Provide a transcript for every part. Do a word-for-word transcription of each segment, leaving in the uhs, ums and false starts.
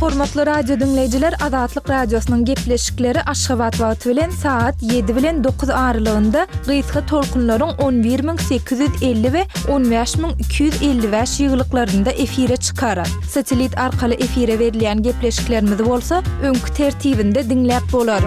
Hormatly radio diňleýjiler, Azatlyk Radiosynyň gepleşikleri Aşgabat wagty bilen saat ýedi bilen dokuz aralygynda gysga tolkunlaryň on bir müň sekiz ýüz elli we on bäş müň iki ýüz elli bäş ýygylyklarynda efire çykar. Satelit arkaly efire berilýän gepleşiklerimizi bolsa öňki tertibinde diňläp bolar.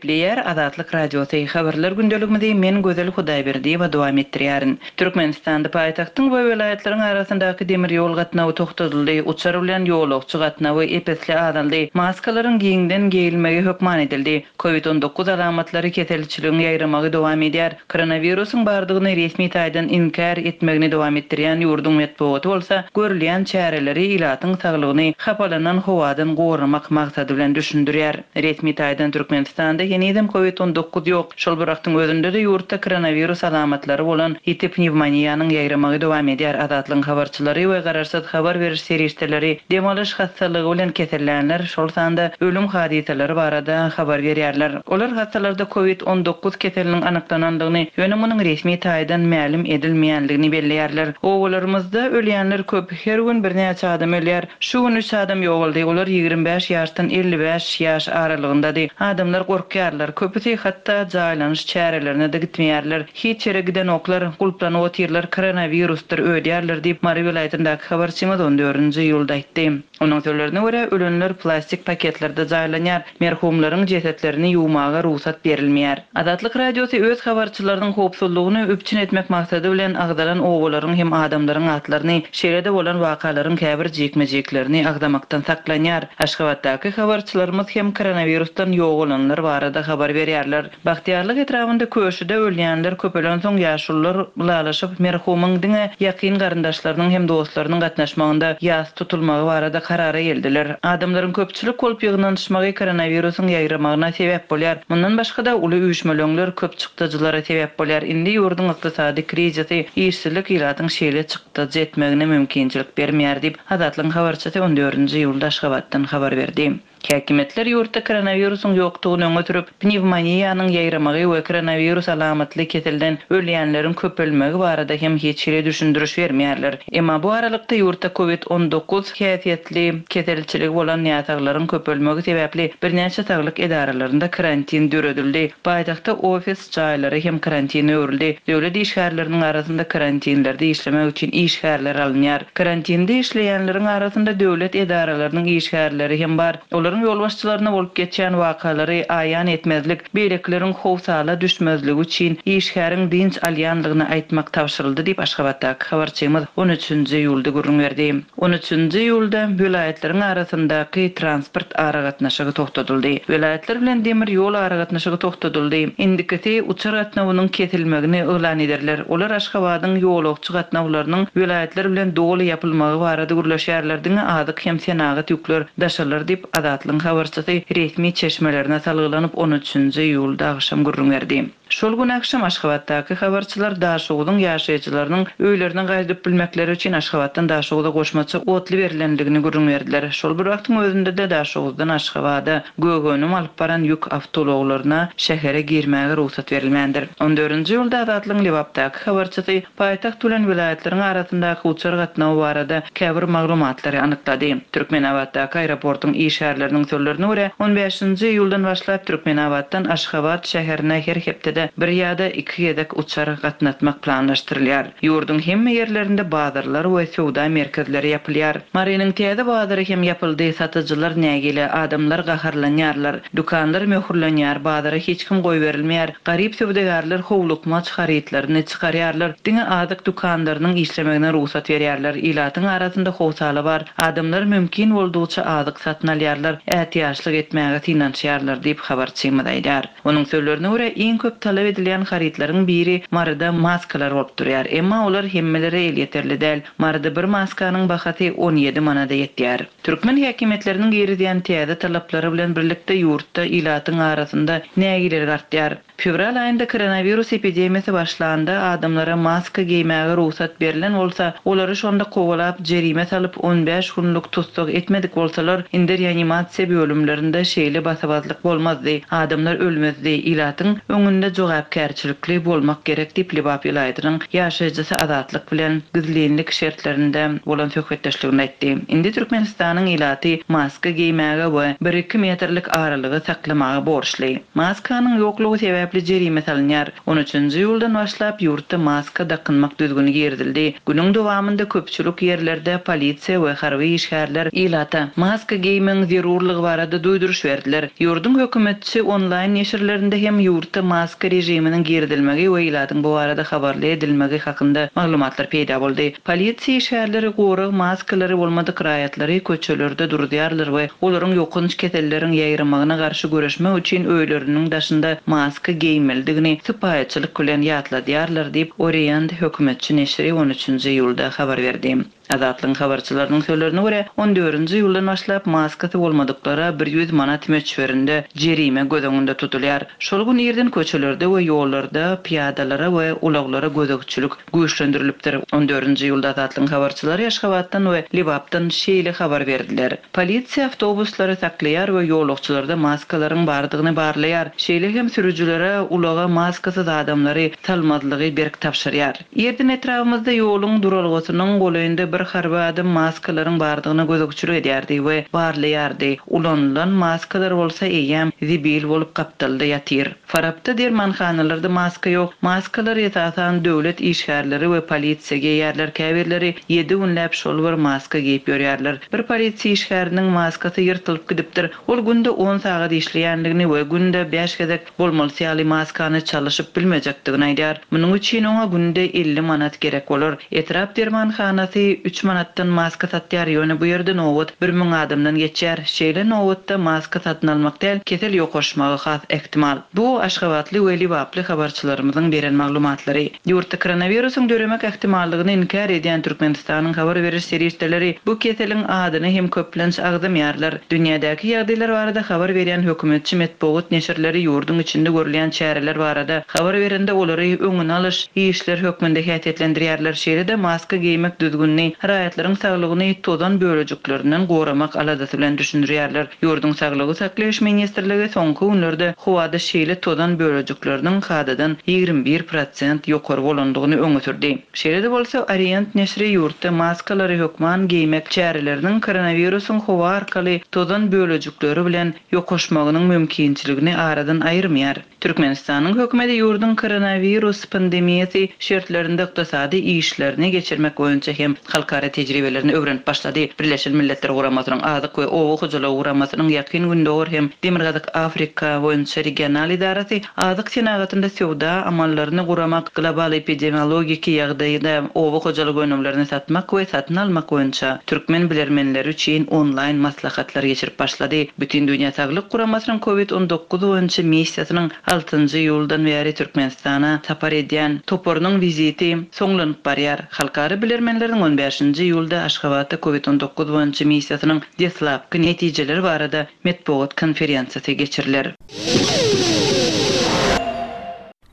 Gepleýär Azatlyk Radiosy habarlar gündeligimizi men Gözel Hudaýberdiýewa dowam etdirýärin. Türkmenistanda paýtagtyň we welaýatlaryň arasyndaky demir ýol gatnawy togtadyldy, uçar bilen ýolagçy gatnawy epesli azaldy, maskalaryň giňden geýilmegi hökman edildi. Covid on dokuz alamatlary keselçiligiň ýaýramagy dowam edýär. Koronawirusyň bardygyny resmi taýdan inkär etmegini dowam etdirýän ýurduň metbugaty bolsa görülýän çäreleri ilatyň saglygyny hapalanan howadan goramak maksady bilen düşündirýär. Resmi taýdan Türkmenistanda henizem Covid on dokuz ýok. Şol bir wagtyň özünde de ýurtda koronawirus alamatlary bolan ýiti pnewmoniýanyň ýaýramagy dowam edýär. Azatlygyň habarçylary we garaşsyz habar beriş serişdeleri dem alyş hastalygy bilen kesellänler, şol sanda ölüm hadysalary barada habar berýärler. Olar hastalarda Covid on dokuz keseliniň anyklanandygyny, ýöne munuň resmi taýdan mälim edilmeýändigini belleýärler. Owalarymyzda ölýänler köp, her gün birnäçe adam ölýär. Şu gün üç adam ýogaldy. Olar ýigrimi bäş ýaşdan elli bäş ýaş aralygyndady. Adamlar gorkýarlar. Köpüsi hatda jaýlanyş çärelerine de gitmeýärler. Hiç ýere giden oklar, gulplanyp otyrlar, koronawirusdyr öýdýärler diýip Mary welaýatyndaky habarçymyz on dördünji iýulda aýtdy. Onuň sözlerine görä ölenler plastik paketlerde jaýlanýar. Merhumlaryň jesetlerini ýuwmaga rugsat berilmeýär. Azatlyk Radiosy öz habarçylarynyň howpsuzlygyny üpjün etmek maksady bilen agzalan owalaryň hem adamlaryň atlaryny, şeýle-de bolan wakalaryň käbir jikme-jiklerini agzamakdan saklanýar. Aşgabatdaky habarçylarymyz hem koronawirusdan ýogalanlar barada habar berýärler. Bagtyýarlyk etrabynda köşüde ölýänler köpelen soň ýaşulular ylalaşyp merhumyň diňe ýakyn garyndaşlarynyň hem dostlarynyň gatnaşmagynda ýas tutulmagy barada karara geldiler. Adamlaryň köpçülik bolup ýygnanyşmagy koronawirusyň ýaýramagyna sebäp bolýar. Mundan başga-da uly üýşmeleňler köp çykdajylara sebäp bolýar. Indi ýurduň ykdysady krizisi işsizlik ilatyň şeýle çykdajy etmegine mümkinçilik bermeýär diýip Azatlygyň habarçysy on dördünji iýulda Aşgabatdan habar berdi. Häkimetler ýurtda koronawirusyň ýokdugyny öňe sürüp, pnewmoniýanyň ýaýramagy we koronawirus alamatly keselden ölýänleriň köpelmegi barada hem hiç hili düşündiriş bermeýärler. Emma bu aralykda ýurtda Covid on dokuz häsiýetli keselçiligi bolan ýataglaryň köpelmegi sebäpli birnäçe saglyk edaralarynda karantin döredildi. Paýtagtda ofis jaýlary hem karantin öwrüldi. Döwlet işgärleriniň arasynda karantinlerde işlemek üçin işgärler alynýar. Karantinde işleýänleriň arasynda döwlet edaralarynyň işgärleri hem bar. Olaryň ýolbaşçylaryna bolup geçýän wakalary aýan etmezlik, beýlekileriň howsala düşmezligi üçin işgäriň dynç alýanlygyny aýtmak tabşyryldy diýip Aşgabatdaky habarçymyz on üçünji iýulda gürrüň berdi. On üçünji iýulda welaýatlaryň arasyndaky transport aragatnaşygy togtadyldy. Welaýatlar bilen demir ýol aragatnaşygy togtadyldy. Indikisi uçar gatnawynyň kesilmegini yglan ederler. Olar Aşgabadyň ýolagçy gatnawlarynyň welaýatlar bilen doly ýapylmagy barada gürleşýärler. Diňe azyk hem senagat ýükler daşalar diýip Azatlygyň habarçysy resmi çeşmelerine salgylanyp on üçünji iýulda agşam gürrüň berdi. Şol gün agşam Aşgabatdaky habarçylar Daşoguzyň ýaşaýjylarynyň öýlerine gaýdyp bilmekleri üçin Aşgabatdan Daşoguza goşmaça otly berilendigini gürrüň berdiler. Şol bir wagtyň özünde de Daşoguzdan Aşgabada gögönüm alyp baran ýük awtoulaglaryna şähere girmäge rugsat berilmändir. On dördünji iýulda Azatlygyň Lebapdaky habarçysy paýtagt bilen welaýatlaryň arasyndaky uçar gatnawy barada käbir maglumatlary anyklady. Türkmenabatdaky aeroportuň işgärleriniň sözlerine görä on bäşinji iýuldan başlap Türkmenabatdan Aşgabat şäherine her hepdede bir ýa-da iki gezek uçar gatnatmak planlaşdyrylýar. Ýurduň hemme ýerlerinde bazarlar we söwda merkezleri ýapylýar. Marynyň täze bazary hem ýapyldy, satyjylar nägile, adamlar gaharlanýarlar, dükanlar möhürlenýär, bazara hiç kim goý berilmeýär. Garyp söwdagärler howlukmaç harytlaryny çykarýarlar, diňe azyk dükanlarynyň işlemegine rugsat berýärler. Ilatyň arasynda howsala bar. Adamlar mümkin boldugyça azyk satyn alýarlar, ätiýaçlyk etmäge synanyşýarlar diýip habarçymyz aýdar. Onuň sözlerine görä iň köp talap edilýän harytlaryň biri Maryda maskalar bolup durýar. Emma olar hemmelere elýeterli däl. Maryda bir maskanyň bahasy on ýedi manada ýetýär. Türkmen häkimiýetleriniň girizýän täze talaplary bilen birlikde ýurtda ilatyň arasynda nägilelik artýar. Fevral aýynda koronawirus epidemiýasy başlanda adamlara maska geýmäge rugsat berilen bolsa, olary şonda kowalap jerime salyp on bäş günlük tussag etmedik bolsalar, indi reanimasiýa bölümlerinde şeýle basabazlyk bolmazdy. Adamlar ölmezdi. Ilatyň öňünde jogapkärçilikli bolmak gerek diýip, Lebap welaýatynyň ýaşaýjysy Azatlyk bilen gizlinlik şertlerinde bolan söhbetdeşliginde aýtdy. Indi Türkmenistanyň ilaty maska geýmäge we bir-iki metrlik aralygy saklamaga borçly. Maskanyň ýoklugy sebäpli jerime salynýar. On üçünji iýuldan başlap ýurtda maska dakynmak düzgüni girizildi. Günüň dowamynda köpçülik ýerlerde polisiýa we harby işgärler ilata maska geýmegiň zerurlygy barada duýduryş berdiler. Ýurduň hökümetçi onlaýn neşirlerinde hem ýurtda maska režiminiň girizilmegi we ilatyň bu barada habarly edilmegi hakynda maglumatlar peýda boldy. Polisiýa işgärleri gorag maskalary bolmadyk raýatlary köçelerde duruzýarlar we olaryň ýokanç keselleriň ýaýramagyna garşy göreşmek üçin öýleriniň daşynda maska geýmelidigini sypaýyçylyk bilen ýatladýarlar diýip, Orient hökümetçi neşiri on üçünji iýulda habar berdi. Azatlygyň habarçylarynyň sözlerine görä, on dördünji iýuldan başlap maskasy bolmadyklara bir ýüz manat möçberinde jerime göz öňünde tutulýar. Şol gün irden köçelerde we ýollarda pyýadalara we ulaglara gözegçilik güýçlendirilipdir. On dördünji iýulda Azatlygyň habarçylary Aşgabatdan we Lebapdan şeýle habar berdiler. Polisiýa awtobuslary saklaýar we ýolagçylarda maskalaryň bardygyny barlaýar. Şeýle hem sürüjilere ulaga maskasyz adamlary salmazlygy berk tabşyrýar. Irden etrabymyzda ýoluň duralgasynyň golaýynda bir harby adam maskalaryň bardygyna gözegçilik edýärdi we barlaýardy. Ulanylan maskalar bolsa eýýäm zibil bolup gapdalda ýatyr. Farapda dermanhanalarda maska ýok. Maskalar esasan döwlet işgärleri we polisiýa geýýärler. Käbirleri ýedi günläp şol bir maska geýip ýörýärler. Bir polisiýa işgäriniň maskasy ýyrtylyp gidipdir. Ol günde on sagat işleýänligini we günde bäş gezek bolmalysy ýaly maskany çalyşyp bilmejekdigini aýdar. Munuň üçin oňa günde elli manat gerek bolar. Etrap dermanhanasy üç manatdan maska satýar, ýöne bu ýerde nobat bir müň adamdan geçýär. Şeýle nobatda maska satyn almak däl, kesel ýokaşmagy has ähtimal. Bu Aşgabatly we Lebaply habarçylarymyzyň beren maglumatlary. Ýurtda koronawirusyň döremek ähtimallygyny inkär edýän Türkmenistanyň habar beriş serişdeleri bu keseliň adyny hem köplenç agzamaýarlar. Dünýädäki ýagdaýlar barada habar berýän hökümetçi metbugat neşirleri ýurduň içinde görülýän çäreler barada habar berende olary öňüni alyş işler hökmünde häsiýetlendirýärler. Şeýle-de maska geýmek düzgünini raýatlaryň saglygyny tozan bölejiklerinden goramak aladasy bilen düşündirýärler. Ýurduň saglygy saklaýyş ministrligi soňky günlerde howada şeýle tozan bölejikleriniň kadadan ýigrimi bir prosent ýokary bolandygyny öňe sürdi. Şeýle-de bolsa Orient neşiri ýurtda maskalary hökman geýmek çäreleriniň koronawirusyň howa arkaly tozan bölejikleri bilen ýokaşmagynyň mümkinçiligini aradan aýyrmaýar. Türkmenistanyň hökümeti ýurduň koronawirus pandemiýasy şertlerinde ykdysady işlerini geçirmek boýunça hem halkara tejribelerini öwrenip başlady. Birleşen Milletler Guramasynyň Azyk we Oba hojalygy Guramasynyň Ýakyn Gündogar hem Demirgazyk Afrika boýunça regional idarasy azyk senagatynda söwda amallaryny guramak, global epidemiologiki ýagdaýda oba hojalyk önümlerini satmak we satyn almak boýunça türkmen bilermenleri üçin onlaýn maslahatlar geçirip başlady. Bütindünýä Saglyk Guramasynyň COVID on dokuz boýunça missiýasynyň altynjy iýuldan bäri Türkmenistana sapar edýän toparynyň wiziti soňlanyp barýar. Halkara bilermenleriň on bäşinji iýulda Aşgabatda COVID on dokuz boýunça missiýasynyň deslapky netijeleri barada metbugat konferensiýasy geçiriler.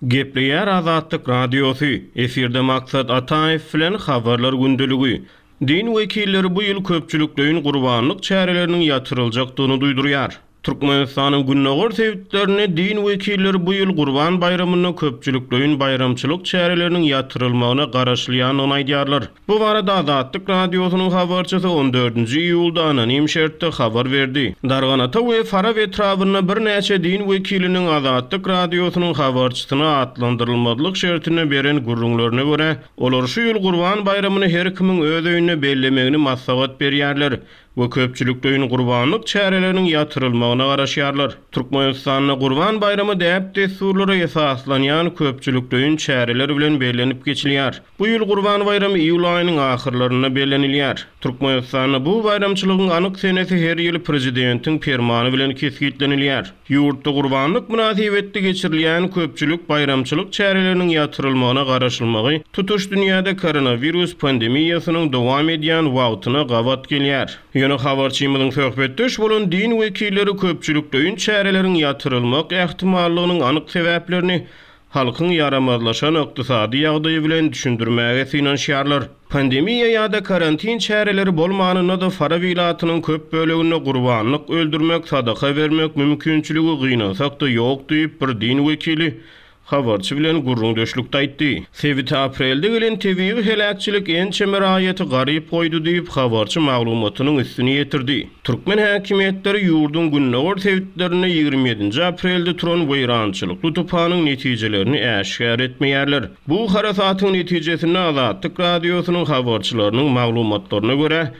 Gepleýär Azatlyk Radiosy. Efirde Maksat Ataýew bilen habarlar gündeligi. Din wekilleri bu ýyl köpçülikleýin gurbanlyk çäreleriniň ýatyryljakdygyny duýdurýar. Türkmenistanyň gündogar sebitlerinde din wekilleri bu ýyl Gurban baýramynda köpçülikleýin baýramçylyk çäreleriniň ýatyrylmagyna garaşylýandygyny aýdýarlar. Bu barada Azatlyk Radiosynyň habarçysy on dördünji iýulda anonim şertde habar berdi. Darganata we Farap etrabynda birnäçe din wekiliniň Azatlyk Radiosynyň habarçysyna atlandyrylmazlyk şertinde beren gürrüňlerine görä, olar şu ýyl Gurban baýramyny her kimiň öz öýünde bellemegini maslahat berýärler we köpçülikleýin gurbanlyk çäreleriniň ýatyrylmagyna garaşýarlar. Türkmenistanda Gurban baýramy däp-dessurlara esaslanýan köpçülikleýin çäreler bilen bellenip geçilýär. Bu ýyl Gurban baýramy iýul aýynyň ahyrlarynda bellenilýär. Türkmenistanda bu baýramçylygyň anyk senesi her ýyl prezidentiň permany bilen kesgitlenilýär. Ýurtda gurbanlyk mynasybetli geçirilýän köpçülik baýramçylyk çäreleriniň ýatyrylmagyna garaşylmagy tutuş dünýäde koronawirus pandemiýasynyň dowam edýän wagtyna gabat gelýär. Ýöne habarçymyzyň söhbetdeş bolan din wekilleri köpçülikleýin çäreleriň ýatyrylmak ähtimallygynyň anyk sebäplerini halkyň ýaramazlaşan ykdysady ýagdaýy bilen düşündirmäge synanyşýarlar. Pandemiýa ýa-da karantin çäreleri bolmanynda-da Farap ilatynyň köp böleginde gurbanlyk öldürmek, sadaka bermek mümkinçiligi gynansak-da ýok diýip bir din wekili habarçy bilen gürrüňdeşlikde aýtdy. Sebite aprelde gelen tebigy heläkçilik ençeme raýaty garyp goýdy diýip, habarçy maglumatynyň üstüni ýetirdi. Türkmen häkimiýetleri ýurduň gündogar sebitlerinde ýigrimi ýedinji aprelde turan weýrançylykly tupanyň netijelerini äşgär etmeýärler. Bu harasatyň netijesinde Azatlyk radiosynyň habarçylarynyň maglumatlaryna görä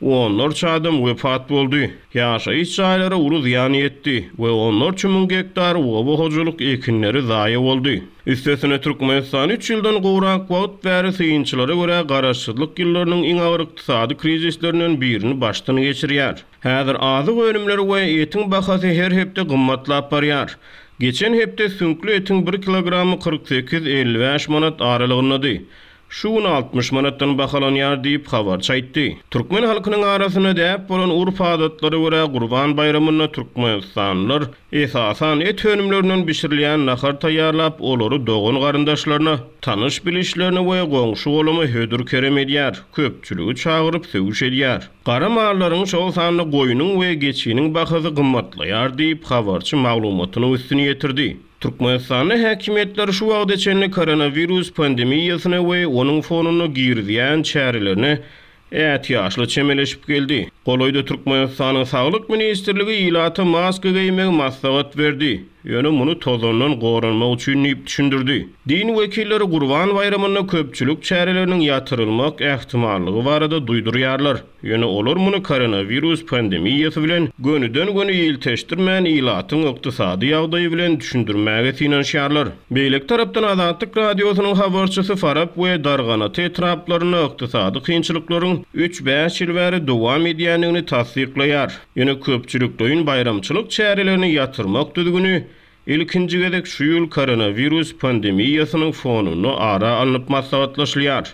onlarça adam wepat boldy. Ýaşaýyş jaýlara uly zyýan ýetdi we onlarça müň gektar oba hojalyk ekinleri zaýa boldy. Üstesine Türkmenistan üç ýyldan gowrak wagt bäri synçylara görä garaşsyzlyk ýyllarynyň iň agyr ykdysady krizislerinden birini başdan geçirýär. Häzir azyk önümleri we etiň bahasy her hepde gymmatlap barýar. Geçen hepde süňkli etiň bir kilogramy kyrk sekiz elli bäş manat aralygyndady. Şu gün altmyş manatdan bahalanýar diýip habarçy aýtdy. Türkmen halkynyň arasynda däp bolan urf adatlara görä Gurban baýramynda Türkmenistanlylar esasan et önümlerinden bişirilýän nahar taýýarlap, olary dogan garyndaşlaryna, tanyş bilişlerine we goňşy golama hödür kerem edýär, köpçüligi çagyryp söwüş edýär. Gara mallaryň şol sanda goýnuň we geçiniň bahasy gymmatlaýar diýip habarçy maglumatynyň üstüni ýetirdi. Türkmenistanda häkimiýetler şu wagta çenli koronawirus pandemiýasyna we onuň fonunda girizýän çärelerine ätiýaçly çemeleşip geldi. Golaýda Türkmenistanyň Saglyk ministrligi ilata maska geýmegi maslahat berdi. Ýöne muny tozandan goranmak üçin diýip düşündirdi. Din wekilleri Gurban baýramynda köpçülik çäreleriniň ýatyrylmak ähtimallygy barada duýdurýarlar. Ýöne olar muny koronawirus pandemiýasy bilen gönüden-göni ilteşdirmän ilatyň ykdysady ýagdaýy bilen düşündirmäge synanyşýarlar. Beýleki tarapdan Azatlyk radiosynyň habarçysy Farap we Darganata etraplarynda ykdysady kynçylyklaryň üç bäş ýyl bäri dowam edýändigini tassyklaýar. Ýöne köpçülikleýin baýramçylyk çärelerini ýatyrmak düzgüni ilkinji gezek şu ýyl koronawirus pandemiýasynyň fonunda ara alnyp maslahatlaşylýar.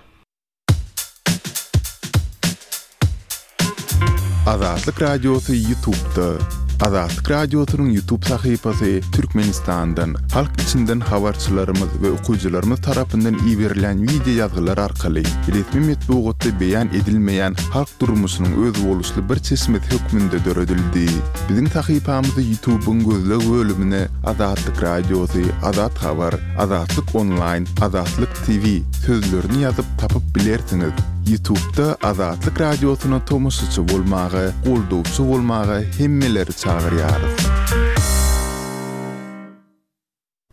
Azatlyk Radiosy YouTube'da. Azatlyk Radiosynyň YouTube sahypasy Türkmenistandan, halk içinden habarçylarymyz we okyjylarymyz tarapyndan iberilen video ýazgylar arkaly resmi metbugatda beýan edilmeýän halk durmuşynyň özboluşly bir çeşmesi hökmünde döredildi. Biziň sahypamyzy YouTube'yň gözleg bölümine Azatlyk Radiosy, Azat Habar, Azatlyk Online, Azatlyk T V sözlerini ýazyp tapyp bilersiňiz. YouTube'da Azatlyk Radiosyna tomaşaçy bolmaga, goldawçy bolmaga hemmeleri çagyrýarys.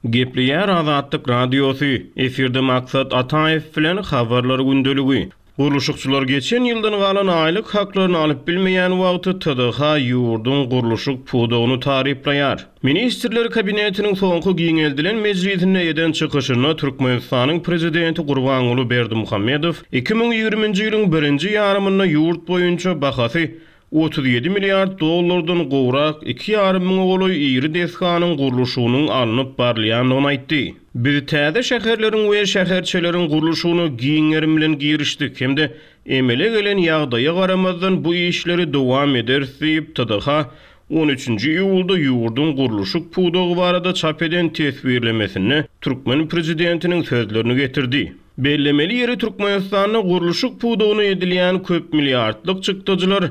Gepleýär Azatlyk Radiosy. Efirde Maksat Ataýew bilen habarlar gündeligi. Gurluşykçylar geçen ýyldan galan aýlyk haklaryny alyp bilmeýän wagty T D H ýurduň gurluşyk pudagyny taryplaýar. Ministrler kabinetiniň soňky giňeldilen mejlisinde eden çykyşynda Türkmenistanyň prezidenti Gurbanguly Berdimuhamedow iki müň ýigriminji ýylyň birinji ýarymynda ýurt boýunça bahasy otuz ýedi milliard dollardan gowrak iki ýarym müňe golaý iri desganyň gurluşygynyň alnyp barylýandygyny aýtdy. Biz täze şäherleriň we şäherçeleriň gurluşygyna giň gerim bilen girişdik hem-de emele gelen ýagdaýa garamazdan bu işleri dowam ederis diýip T D H on üçünji iýulda ýurduň gurluşyk pudagy barada çap eden teswirlemesinde Türkmen prezidentiniň sözlerini getirdi. Bellemeli ýeri Türkmenistanda gurluşyk pudagyna edilýän köp milliardlyk çykdajylar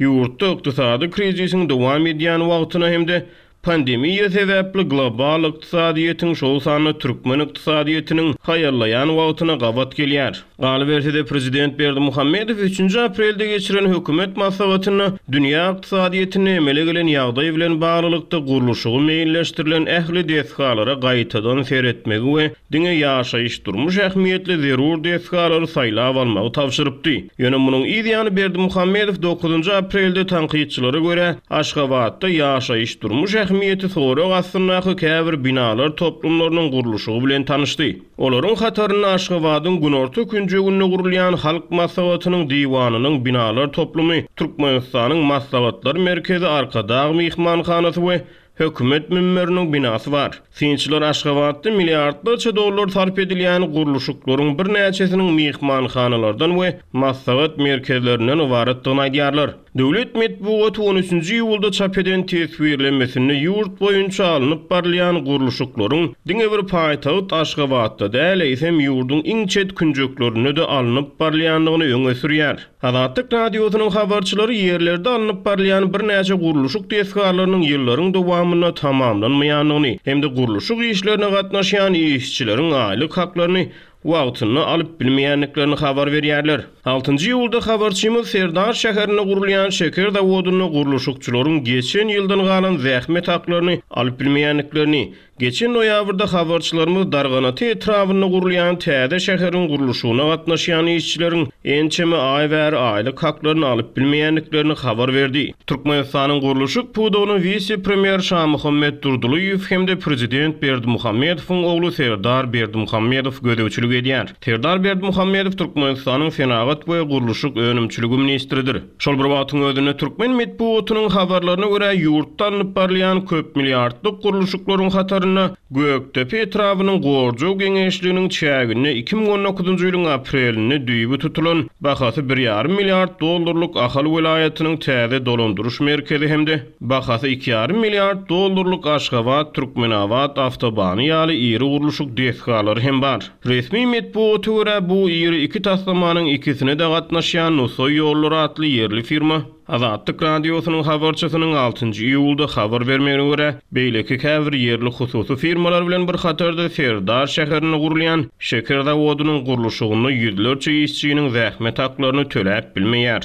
ýurtda ykdysady krizisiň dowam edýän wagtyna hem-de pandemiýa sebäpli global ykdysadyýetiň şol sanda türkmen ykdysadyýetiniň haýallaýan wagtyna gabat gelýär. Galyberse-de prezident Berdimuhamedow üçünji aprelde geçiren hökümet maslahatynda dünýä ykdysadyýetine emele gelen ýagdaý bilen baglylykda gurluşygy meýilleşdirilen ähli desgalara gaýtadan seretmegi we diňe ýaşaýyş durmuş ähmiýetli zerur desgalary saýlap almagy tabşyrypdy. Ýöne munuň yz ýany Berdimuhamedow dokuzynjy aprelde tankytçylara görä Aşgabatda ýaşaýyş durmuş ähmiýeti sorag astyndaky käbir binalar toplumlarynyň gurluşygy bilen tanyşdy. Olaryň hatarynda Aşgabadyň günorta künjeginde gurulýan Halk Maslahatynyň diwanynyň binalar toplumy, Türkmenistanyň Maslahatlar Merkezi Arkadag Mehmanhanasy we hökümet münberiniň binasy bar. Synçylar Aşgabatda milliardlarça dollar sarp edilýän gurluşyklaryň birnäçesiniň mehmanhanalardan we maslahat merkezlerinden ybaratdygyny aýdýarlar. Döwlet metbugaty on üçünji iýulda çap eden teswirlemesinde ýurt boýunça alnyp barylýan gurluşyklaryň diňe bir paýtagt Aşgabatda däl, eýsem ýurduň iň çet künjeklerinde-de alnyp barylýandygyny öňe sürýär. Azatlyk Radiosynyň habarçylary ýerlerde alnyp barylýan birnäçe gurluşyk desgalarynyň ýyllaryň dowamynda tamamlanmaýandygyny hem-de gurluşyk işlerine gatnaşýan işçileriň aýlyk haklaryny wagtynda alyp bilmeýändiklerini habar berýärler. Altynjy iýulda habarçymyz Serdar şäherinde gurulýan şeker zawodynda gurluşykçylaryň geçen ýyldan galan zähmet haklaryny alyp bilmeýändiklerini, geçen noýabrda habarçylarymyz Darganata etrabynda gurulýan täze şäheriň gurluşygyna gatnaşýan işçileriň ençeme aý bäri aýlyk haklaryny alyp bilmeýändiklerini habar berdi. Türkmenistanyň gurluşyk pudagynyň wise-premýer Şamuhammet Durdylyýew hem-de prezident Berdimuhamedowyň ogly Serdar Berdimuhamedow gözegçilik edýär. Serdar Berdimuhamedow Türkmenistanyň senagat we gurluşyk önümçiligi ministridir. Şol bir wagtyň özünde türkmen metbugatynyň habarlaryna görä ýurtda alnyp barylýan köp milliardlyk gurluşyklaryň hatarynda Gökdepe etrabynyň Gorjaw geňeşliginiň çäginde iki müň on dokuzynjy ýylyň aprelinde düýbi tutulan bahasy bir ýarym milliard dollarlyk Ahal welaýatynyň täze dolandyryş merkezi hem-de bahasy iki ýarym milliard dollarlyk Aşgabat Türkmenabat awtobany ýaly iri gurluşyk desgalary hem bar. Resmi metbugata görä bu iri iki taslamanyň ikisine de gatnaşýan Nusaý ýollary atly ýerli firma Azatlyk Radiosynyň habarçysynyň altynjy iýulda habar bermegine görä, beýleki käbir ýerli hususy firmalar bilen bir hatarda Serdar şäherinde gurulýan şeker zawodynyň gurluşygynda ýüzlerçe işçiniň zähmet haklaryny töläp bilmeýär.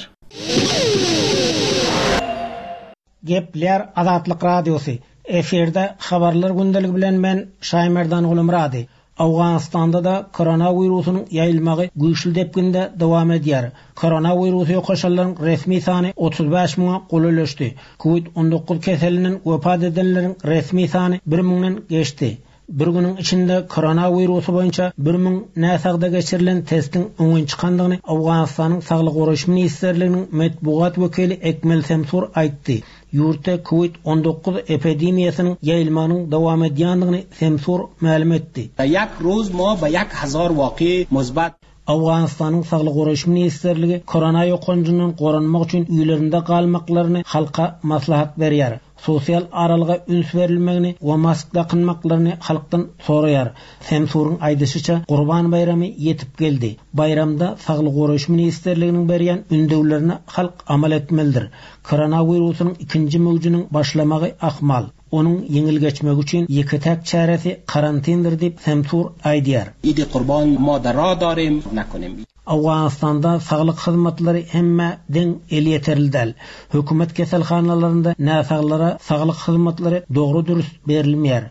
Gepler Azatlyk Radiosy. Efirde habarlar gündeligi bilen men Şaýmerdan Gulumrady. Awganystanda da koronawirusynyň ýaýylmagy güýçli depginde dowam edýär. Koronawirusy ýokaşanlaryň resmi sany otuz bäş müňe golaýlaşdy. Covid on dokuz keselinden wepat edenleriň resmi sany bir müňden geçdi. Bir günüň içinde koronawirusy boýunça bir müň näsagda geçirilen testiň öňün çykandygyny Awganystanyň Saglyk goraýyş ministrliginiň metbugat wekili Ekmel Semsur aýtdy. Ýurtda Covid on dokuz epidemiýasynyň ýaýylmagynyň dowam edýändigini Semsur mälim etdi. Yak roz ma ba yak hazar waqi muzbat. Awganystanyň Saglyk goraýyş ministrligi korona ýokanjyndan goranmak üçin öýlerinde galmaklaryny halka maslahat berýär. Sosial aralyga üns berilmegini we mask dakynmaklaryny halkdan soraýar. Semsuryň aýdyşyça Gurban baýramy ýetip geldi. Baýramda Saglyk goraýyş ministrliginiň berýän ündewlerine halk amal etmelidir. Koronawirusynyň ikinji möwjüniň başlamagy ahmal. Onuň ýeňil geçmegi üçin ýeke-täk çäresi karantindir diýip Semsur aýdýar. Idi Qurban ma dara darim nakunim. Awganystanda saglyk hyzmatlary hemme deň elýeterli däl. Hökümet keselhanalarynda näsaglara saglyk hyzmatlary dogry dürüst berilmeýär.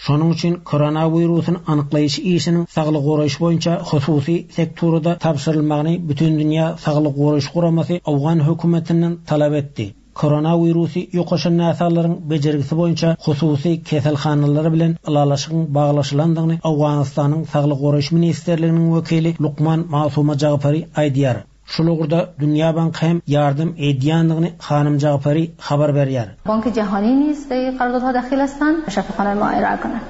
Şonuň üçin koronawirusyny anyklaýyş işiniň saglyk goraýyş boýunça hususy sektorda tabşyrylmagyny Bütindünýä Saglyk Goraýyş Guramasy Awgan hökümetinden talap etdi. Koronawirusy ýokaşan näsaglaryň bejergisi boýunça hususy keselhanalar bilen ylalaşygyň baglaşylandygyny Awganystanyň Saglyk Goraýyş Ministrliginiň wekili Lukman Masuma Jagpary aýdýar. Şul ugurda Dünýä Banky hem ýardam edýändigini Hanym Jagpary habar berýär. Bank Jahani نیست در قراردادها دخیل هستند، شفاخانه ما ارائه کنند.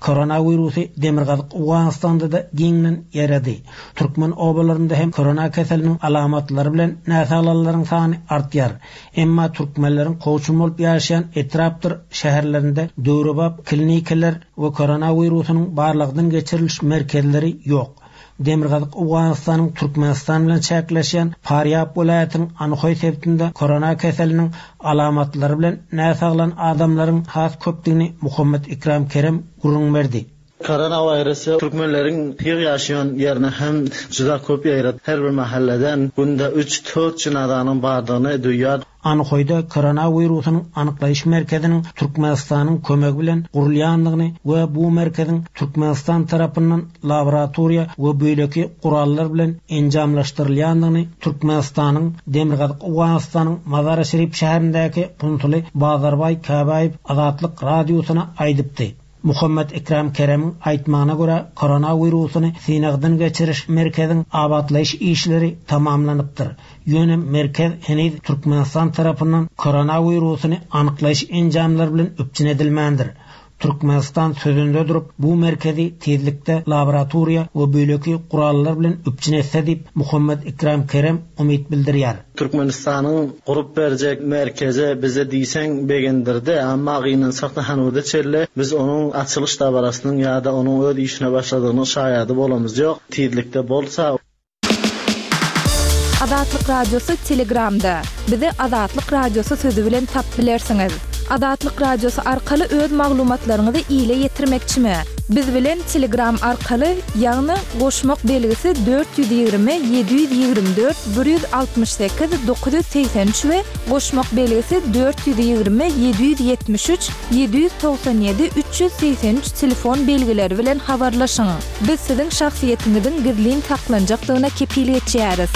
Koronawirusu Demirgazyk Owganystanda da giňden ýeredi. Türkmen obalarynda hem korona keseliniň alamatlary bilen näsaglaryň sany artýar. Emma türkmenleriň kowçum bolup ýaşaýan etrapdyr şäherlerinde döwrebap klinikalar we koronawirusynyň barlygdan geçiriliş merkezleri ýok. Demirgazyk Owganystanyň Türkmenistan bilen çäkleşýän Farýab welaýatynyň Anhoý sebitinde korona keseliniň alamatlary bilen näsaglan adamlaryň has köpdügini Muhammet Ikram Kerem gürrüň berdi. Koronavirus türkmenleriň ýer ýaşaýan ýerine hem juda köp ýaýrady. Her bir mahalleden günde üç dört jynazanyň bardygyny duýýar. Anhoýda koronawirusynyň anyklaýyş merkeziniň Türkmenistanyň kömegi bilen gurulýandygyny we bu merkeziň Türkmenistan tarapyndan laboratoriýa we beýleki gurallar bilen enjamlaşdyrylýandygyny Türkmenistanyň Demirgazyk Owganystanyň Mazar-i Şerif şäherindäki konsuly Bazarbaý Käbäýew Azatlyk radiosyna aýdypdy. Muhammet Ikram Keremiň aýtmagyna görä koronawirusyny synagdan geçiriş merkeziň abatlaýyş işleri tamamlanypdyr. Ýöne merkez heniz Türkmenistan tarapyndan koronawirusyny anyklaýyş enjamlary bilen üpjün edilmändir. Türkmenistan sözünde durup bu merkezi tizlikde laboratoriýa we beýleki gurallar bilen üpjün etse diýip Muhammed Ikram Kerem umyt bildirýär. Türkmenistanyň gurup berjek merkezi bize diýseň begendirdi, amma gynansak da hanuda çelle biz onuň açylyş dabarasynyň ýa-da onuň öz işine başladygynyň şaýady bolamyz ýok. Tizlikde bolsa Azatlyk Radiosy Telegramda. Bizi Azatlyk Radiosy sözü bilen tap bilersiňiz. Azatlyk Radiosy arkaly öz maglumatlaryňyzy ile ýetirmekçimi? Biz bilen Telegram arkaly, ýagny goşmak belgisi dört ýüz ýigrimi ýedi ýüz ýigrimi dört bir ýüz altmyş sekiz dokuz ýüz segsen üç we goşmak belgisi dört ýüz ýigrimi ýedi ýüz ýetmiş üç ýedi ýüz togsan ýedi üç ýüz segsen üç telefon belgileri bilen habarlaşyň. Biz siziň şahsyýetiňiziň gizlin saklanjakdygyna kepil geçýäris.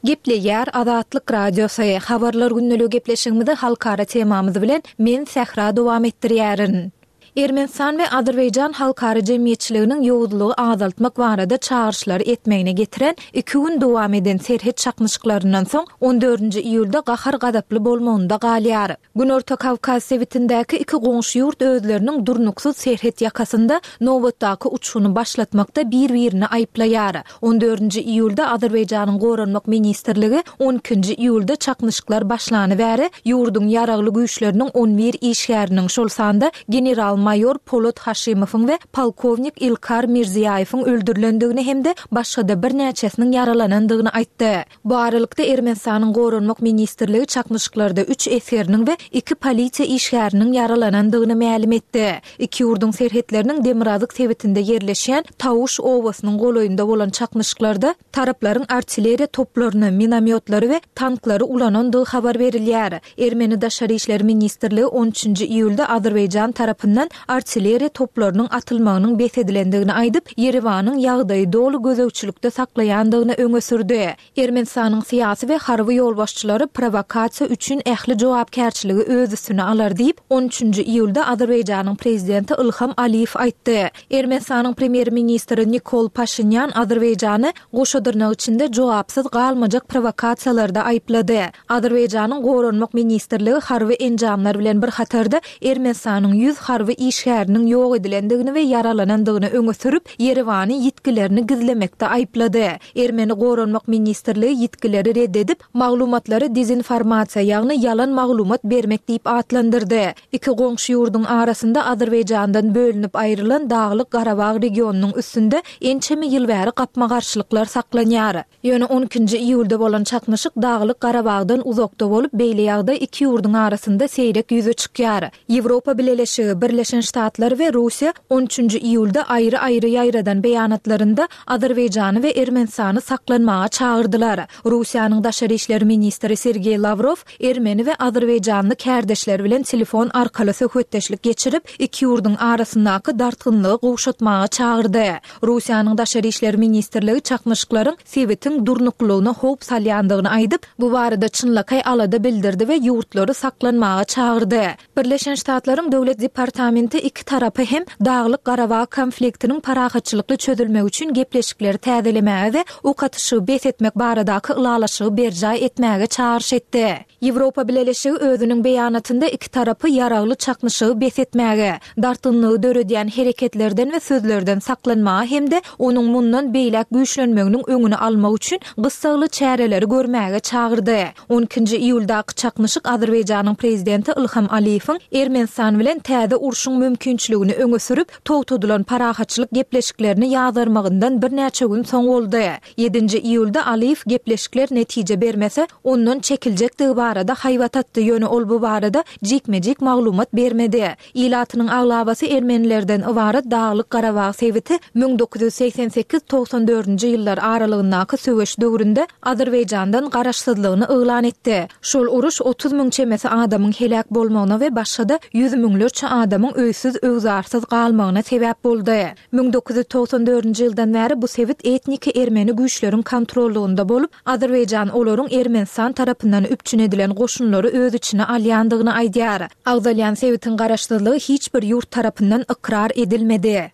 Gepleýär Azatlyk Radiosy. Habarlar gündeligi gepleşigimizi halkara temamyz bilen men Sähra dowam etdirýärin. Ermenistan we Azerbaýjan halkara jemgyýetçiliginiň ýowuzlygy azaltmak barada çagyryşlary etmegine getiren iki gün dowam eden serhet çaknyşyklaryndan soň on dördünji iýulda gahar gazaply bolmagynda galýar. Günorta Kawkaz sebitindäki iki goňşy ýurt özleriniň durnuksyz serhet ýakasynda nobatdaky uçuny başlatmakda bir-birini aýyplaýar. On dördünji iýulda Azerbaýjanyň Goranmak ministrligi on ikinji iýulda çaknyşyklar başlany bäri ýurduň ýaragly güýçleriniň on bir işgäriniň, şol sanda general-maýor Polat Haşimowyň we polkownik Ilkar Mirziýaýewiň öldürilendigini hem-de başga-da birnäçesiniň ýaralanandygyny aýtdy. Bu aralykda Ermenistanyň Goranmak ministrligi çaknyşyklarda üç esgeriniň we iki polisiýa işgäriniň ýaralanandygyny mälim etdi. Iki ýurduň serhetleriniň Demirgazyk sebitinde ýerleşýän Tawuş obasynyň golaýynda bolan çaknyşyklarda taraplaryň artilleriýa toplaryny, minomyotlary we tanklary ulanandygy habar berilýär. Ermeni Daşary işler ministrligi on üçünji iýulda Azerbaýjan tarapyndan artilleriýa toplarynyň atylmagynyň bes edilendigini aýdyp, Ýerewanyň ýagdaýy doly gözegçilikde saklaýandygyny öňe sürdi. Ermenistanyň syýasy we harby ýolbaşçylary provokasiýa üçin ähli jogapkärçiligi öz üstüne alar diýip, on üçünji iýulda Azerbaýjanyň prezidenti Ilham Aliýew aýtdy. Ermenistanyň premýer-ministri Nikol Paşinyan Azerbaýjany goşa dyrnak içinde jogapsyz galmajak provokasiýalarda aýyplady. Azerbaýjanyň Goranmak ministrligi harby enjamlar bilen bir hatarda Ermenistanyň ýüz harby işgäriniň ýok edilendigini we ýaralanandygyny öňe sürüp, Ýerewany ýitgilerini gizlemekde aýyplady. Ermeni Goranmak ministrligi ýitgileri red edip, maglumatlary dezinformasiýa, ýagny ýalan maglumat bermek diýip atlandyrdy. Iki goňşy ýurduň arasynda Azerbaýjandan bölünip aýrylan Daglyk Garabag regionynyň üstünde ençeme ýyl bäri gapma-garşylyklar saklanýar. Ýöne on ikinji iýulda bolan çaknyşyk Daglyk Garabagdan uzakda bolup, beýle ýagdaý iki ýurduň arasynda seýrek ýüze çykýar. Ýewropa Bileleşigi, Birleşen Ştatlar we Russiýa on üçünji iýulda aýry-aýry ýaýradan beýanatlarynda Azerbaýjany we Ermenistany saklanmaga çagyrdylar. Russiýanyň Daşary işler ministri Sergeý Lawrow Ermeni we Azerbaýjanly kärdeşler bilen telefon arkaly söhbetdeşlik geçirip, iki ýurduň arasyndaky dartgynlygy gowşatmaga çagyrdy. Russiýanyň Daşary işler ministrligi çaknyşyklaryň sebitiň durnuklygyna howp salýandygyny aýdyp, bu barada çynlakaý alada bildirdi we ýurtlary saklanmaga çagyrdy. Birleşen Ştatlaryň Döwlet departamenti iki tarapy hem Daglyk Garabag konfliktiniň parahatçylykly çözülmegi üçin gepleşikleri täzelemäge we ok atyşygy bes etmek baradaky ylalaşygy berjaý etmäge çagyryş etdi. Ýewropa Bileleşigi özüniň beýanatynda iki tarapy ýaragly çaknyşygy bes etmäge, dartgynlygy döredýän hereketlerden we sözlerden saklanmaga hem-de onuň mundan beýläk güýçlenmeginiň öňüni almak üçin gyssagly çäreleri görmäge çagyrdy. on ikinji iýuldaky çaknyşyk Azerbaýjanyň prezidenti Ilham Aliýewiň Ermenistan bilen täze urşuň mümkinçiligini öňe sürüp, togtadylan parahatçylyk gepleşiklerini ýazarmagyndan birnäçe gün soň boldy. Ýedinji iýulda Aliýew gepleşikler netije bermese, ondan çekiljekdigi barada haýbat atdy, ýöne ol bu barada jikme-jik maglumat bermedi. Ilatynyň aglabasy ermenilerden ybarat Daglyk Garabag sebiti müň dokuz ýüz segsen sekiz togsan dördünji ýyllar aralygyndaky söweş döwründe Azerbaýjandan garaşsyzlygyny yglan etdi. Şol uruş otuz müň çemesi adamyň heläk bolmagyna we başga-da ýüz müňlerçe adamyň öýsüz öwzarsyz galmagyna sebäp boldy. Müň dokuz ýüz togsan dördünji ýyldan bäri bu sebit etniki ermeni güýçleriň kontrollygynda bolup, Azerbaýjan olaryň Ermenistan tarapyndan üpjün edilen goşunlary öz içine alýandygyny aýdýar. Agzalýan sebitiň garaşsyzlygy hiç bir ýurt tarapyndan ykrar edilmedi.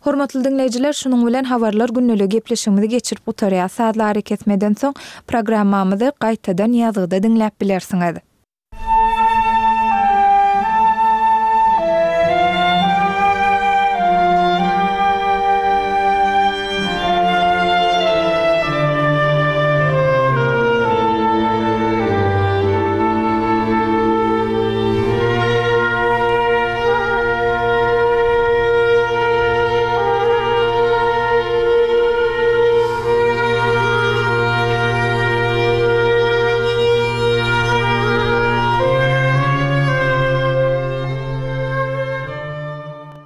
Hormatly diňleýjiler, şunuň bilen habarlar gündeligi gepleşigimizi geçirip gutarýas. Sazly arakesmeden soň programmamyzy gaýtadan ýazgyda diňläp bilersiňiz.